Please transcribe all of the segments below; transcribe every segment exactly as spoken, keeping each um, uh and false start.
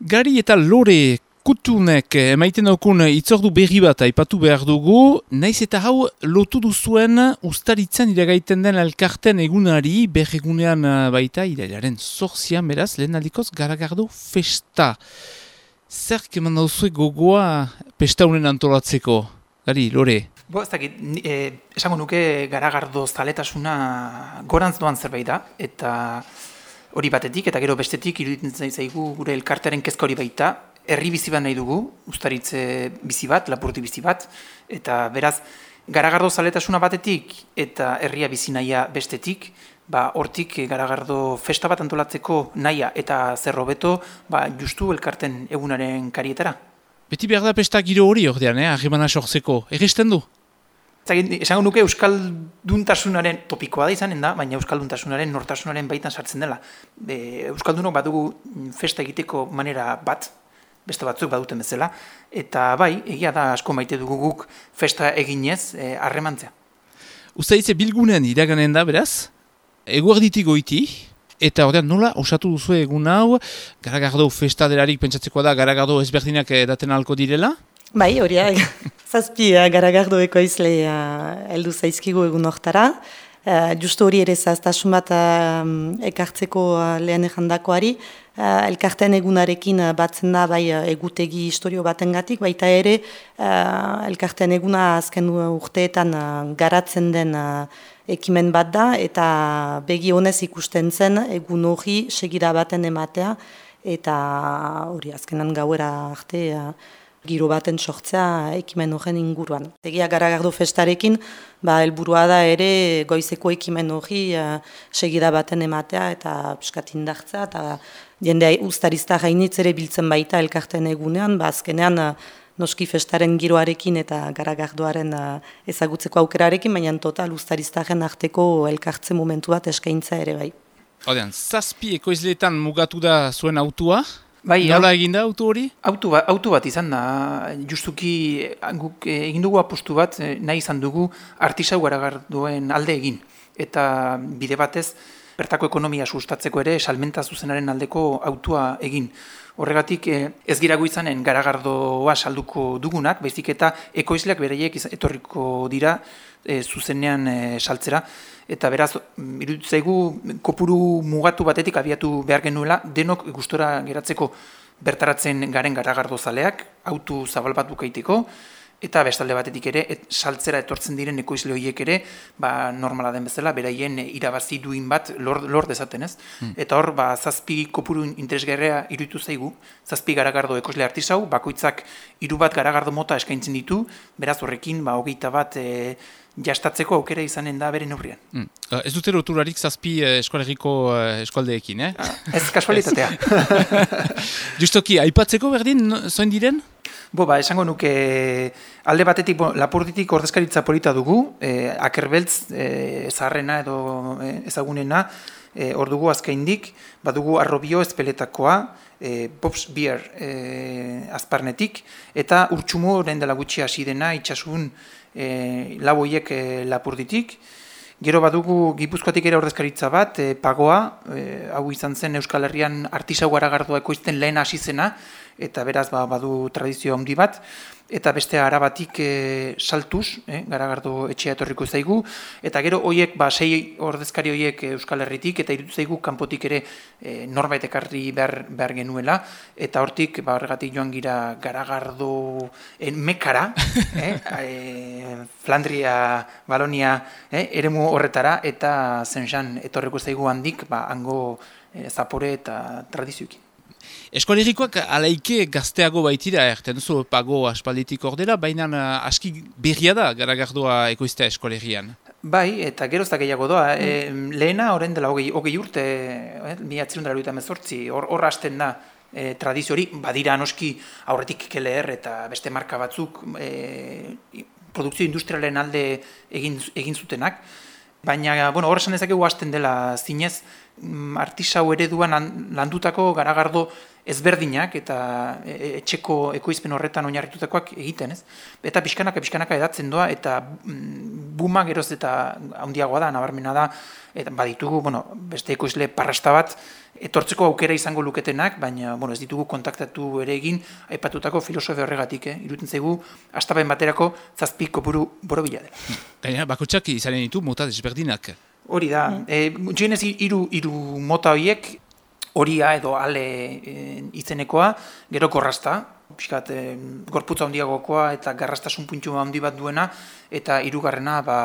Gari eta Lore Kutunek emaiten daukun itzordu berri bat aipatu behar dugu, naiz eta hau lotu duzuen ustaritzen iragaiten den elkarten egunari, berregunean baita irailaren zortzian beraz, lehen aldikoz Garagardo festa. Zer keman dauzue gogoa pesta honen antolatzeko? Gari, Lore? Bo, ez dakit, eh, esango nuke Garagardo zaletasuna gorantz doan zerbait da, eta hori batetik, eta gero bestetik iruditzen zaigu gure elkartearen kezka hori baita, herri bizi bat nahi dugu, ustaritze bizi bat, lapurdi bizi bat, eta beraz, Garagardo zaletasuna batetik eta herria bizi nahia bestetik, ba, hortik Garagardo festa bat antolatzeko nahia eta zer hobeto, ba, justu elkarten egunaren karietara. Beti behar da pesta giro hori ordean, eh? Harremana sortzeko. Egesten du? Esango nuke euskalduntasunaren topikoa da izanen da, baina euskalduntasunaren nortasunaren baitan sartzen dela. E, euskaldunok badugu festa egiteko manera bat, beste batzuk baduten bezala, eta bai, egia da asko maite dugu guk festa eginez harremantzea. E, Uztaitze bilgunean iraganen da, beraz, eguerditik goiti, eta ordean nola osatu duzu egun hau, Garagardo festa delarik pentsatzekoa da, Garagardo ezberdinak daten halko direla? Bai, horiak, zazpi uh, Garagardo ekoizle uh, heldu zaizkigu egun hortara. Uh, justu hori ere zaztasun bat uh, ekartzeko uh, lehen ejandakoari. Uh, elkarten egunarekin uh, batzen da bai uh, egutegi historio batengatik, baita ere uh, elkarten eguna azken urteetan uh, garatzen den uh, ekimen bat da, eta begi honez ikusten zen egun hori segira baten ematea, eta hori azkenan gauera arte uh, giro baten sortzea ekimen horren inguruan. Egia Garagardo festarekin, ba, helburua da ere goizeko ekimen hori uh, segida baten ematea eta piskat indartzea, eta jendea uztarizta gainitz ere biltzen baita elkarten egunean, ba, azkenean uh, noski festaren giroarekin eta Garagardoaren uh, ezagutzeko aukerarekin, baina total uztariztaren arteko elkartze momentu bat eskaintza ere bai. Odean, zazpi ekoizleetan mugatu da zuen autua? Bai, nola egin da auto hori? Auto bat, auto bat izan da, justuki guk egin dugu apostu bat, nahi izan dugu artisau Garagardoen alde egin. Eta bide batez, bertako ekonomia sustatzeko ere, salmenta zuzenaren aldeko autua egin. Horregatik ez girago izanen Garagardoa salduko dugunak, baizik eta ekoizleak bereiek etorriko dira e, zuzenean e, saltzera. Eta beraz, iruditzen zaigu kopuru mugatu batetik abiatu behar genuela, denok gustora geratzeko bertaratzen garen Garagardo zaleak, autu zabal bat bukaiteko, eta bestalde batetik ere, et, saltzera etortzen diren ekoizle horiek ere, ba, normala den bezala, beraien irabazi duin bat lor, lor dezaten, ez? Hmm. Eta hor, ba, zazpi kopuru interesgarria iruditu zaigu, zazpi Garagardo ekoizle artisau, bakoitzak hiru bat Garagardo mota eskaintzen ditu, beraz horrekin, ba, hogeita bat e, jastatzeko aukera izanen da bere neurrian. Hmm. Ez dute loturarik zazpi eh, eskolegiko eh, eskualdeekin, eh? Ah, ez kasualitatea. Justoki, aipatzeko berdin, zoin diren? Bo, ba, esango nuke alde batetik, bo, Lapurditik ordezkaritza polita dugu, eh, Akerbeltz eh, zaharrena edo eh, ezagunena, eh, hor dugu azkaindik, badugu Arrobio ezpeletakoa, eh, Pops Beer eh, azparnetik, eta Urtsumo orain dela gutxi hasi dena itxasun eh, lau hoiek eh, Lapurditik. Gero badugu Gipuzkoatik ere ordezkaritza bat, e, Pagoa, e, hau izan zen Euskal Herrian artisau Garagardoa ekoizten lehen hasi zena, eta beraz ba, badu tradizio handi bat, eta beste Arabatik e, Saltuz, e, Garagardo etxea etorriko zaigu, eta gero hoiek, ba, sei ordezkari hoiek Euskal Herritik, eta iruditu zaigu kanpotik ere e, norbait ekarri behar, behar genuela, eta hortik, ba, horregatik joan gira Garagardo en Mekara, eh, e, Flandria, Balonia, eh, eremu horretara, eta zen etorriko zaigu handik, ba, hango e, zapore eta tradizioekin. Eskolegikoak alaike gazteago baitira, erten zu Pago aspalditik ordera, baina aski berria da Garagardoa ekoiztea eskolegian. Bai, eta gero ez da gehiago doa. Mm. E, lehena, horren dela hogei, hogei urte, eh, mila zirundara luita mezortzi, hor, hor hasten da e, tradizio hori, badira noski aurretik K L R eta beste marka batzuk e, produkzio industrialen alde egin, egin zutenak, baina, bueno, hor esan ezakegu hasten dela zinez, artisau ereduan landutako Garagardo ezberdinak eta etxeko ekoizpen horretan oinarritutakoak egiten, ez? Eta pixkanaka, pixkanaka edatzen doa, eta buma geroz eta handiagoa da, nabarmena da, eta baditugu, bueno, beste ekoizle parrasta bat, etortzeko aukera izango luketenak, baina, bueno, ez ditugu kontaktatu ere egin, aipatutako filosofia horregatik, eh? Iruditzen zaigu, astapen baterako zazpi kopuru borobila dela. Gainera, bakotxak izanen ditu mota desberdinak. Hori da, mm. e, jenez hiru hiru mota horiek, horia edo ale e, izenekoa, gero korrasta, pixkat, e, gorputza handiagokoa eta garrastasun puntu handi bat duena, eta hirugarrena ba,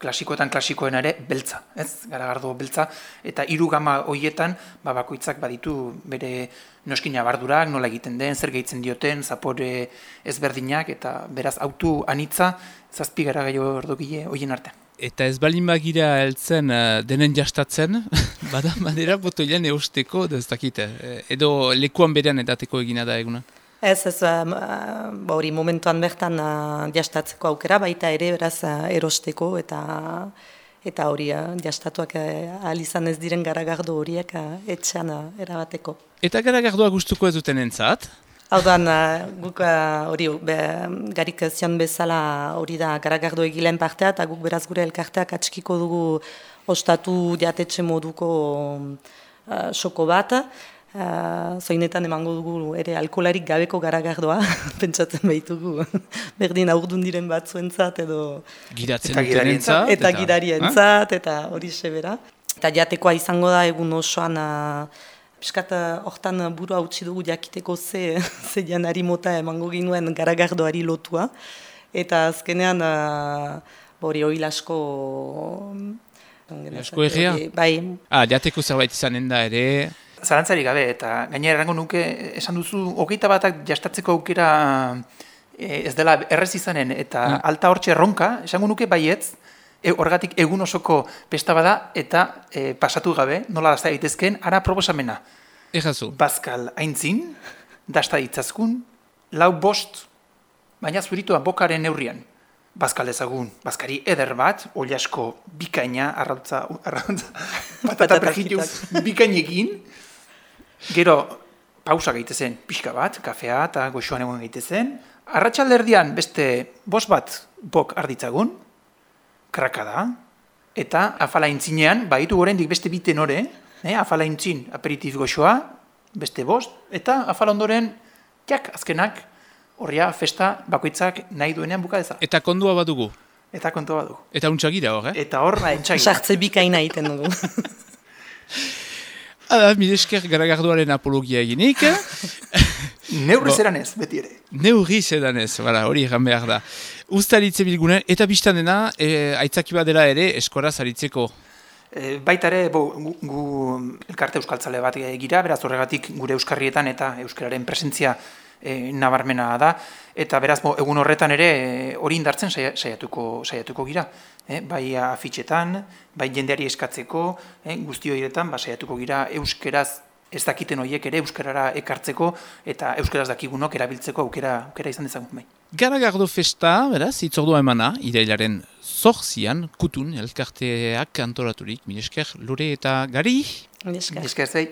klasikoetan klasikoena ere beltza, ez? Garagardo beltza, eta hiru gama horietan ba, bakoitzak baditu bere noskin abardurak, nola egiten den, zer gehitzen dioten, zapore ezberdinak, eta beraz autu anitza, zazpi gara gaio ordogile horien artean. Eta ez balin bagira heltzen uh, denen jastatzen, bada manera botoilan eusteko, ez dakite, edo lekuan berean edateko egina da eguna? Ez, ez, hori uh, momentuan bertan uh, jastatzeko aukera, baita ere beraz uh, erosteko eta eta hori uh, jastatuak uh, ahal izan ez diren garagardo horiek uh, etxean uh, erabateko. Eta garagardoa gustuko ez duten entzat? Hau duan, guk hori garik zion bezala hori da garagardo egileen partea, eta guk beraz gure elkarteak atxikiko dugu ostatu jatetxe moduko uh, soko bat. Uh, zoinetan emango dugu ere alkolarik gabeko garagardoa, pentsatzen behitugu, berdin aurdun diren batzuentzat edo... Giratzen dutenentzat. Eta, eta girarientzat, eta hori sebera. Eta jatekoa izango da egun osoan... Uh, Piskat, hortan burua utzi dugu jakiteko ze, ze janari mota emango ginuen garagardoari lotua. Eta azkenean, hori uh, oil asko... Asko egia? Bai. Ah, jateko zerbait izanen da ere... Zarantzari gabe, eta gainera errango nuke, esan duzu, hogeita batak jastatzeko aukera ez dela errez izanen, eta ah. alta hortxe erronka, esango nuke baietz, E, horregatik egun osoko pesta bada eta e, pasatu gabe, nola dazta daitezkeen, ara proposamena. Ejazu. Bazkal aintzin, dasta ditzazkun, lau bost, baina zuritua bokaren neurrian. Bazkal ezagun, bazkari eder bat, oliasko bikaina, arrautza, arrautza, patata prejituz bikainekin, gero pausa gaitezen pixka bat, kafea eta goxoan egon gaitezen, arratsalderdian beste bost bat bok arditzagun, kraka da, eta afala intzinean, baitu gorendik beste biten ore, eh, afala intzin aperitif goxoa, beste bost, eta afala ondoren, jak, azkenak, horria festa bakoitzak nahi duenean buka deza. Eta kondua badugu? Eta kontua badugu. Eta untxagira hor, eh? Eta hor, untxagira. Sartze bikaina egiten dugu. Hala, mire esker garagardoaren apologia eginik. Neurri zeran ez, beti ere. Neurri zeran ez, hori egan behar da. Uztaritze bilgunen, eta biztan dena, e, aitzaki bat dela ere, eskoraz aritzeko? E, baita ere, bo, gu, gu elkarte euskaltzale bat gira, beraz horregatik gure euskarrietan eta euskararen presentzia e, nabarmena da, eta beraz bo, egun horretan ere hori indartzen saiatuko, saiatuko gira. E, bai afitxetan, bai jendeari eskatzeko, e, guzti horietan, ba, saiatuko gira euskeraz ez dakiten horiek ere euskarara ekartzeko eta euskaraz dakigunok erabiltzeko aukera, aukera izan dezagun bai. Garagardo festa, beraz, itzordua emana, irailaren zorzian, kutun, elkarteak antolaturik, milesker, Lore eta Gari? Milesker. Milesker zei.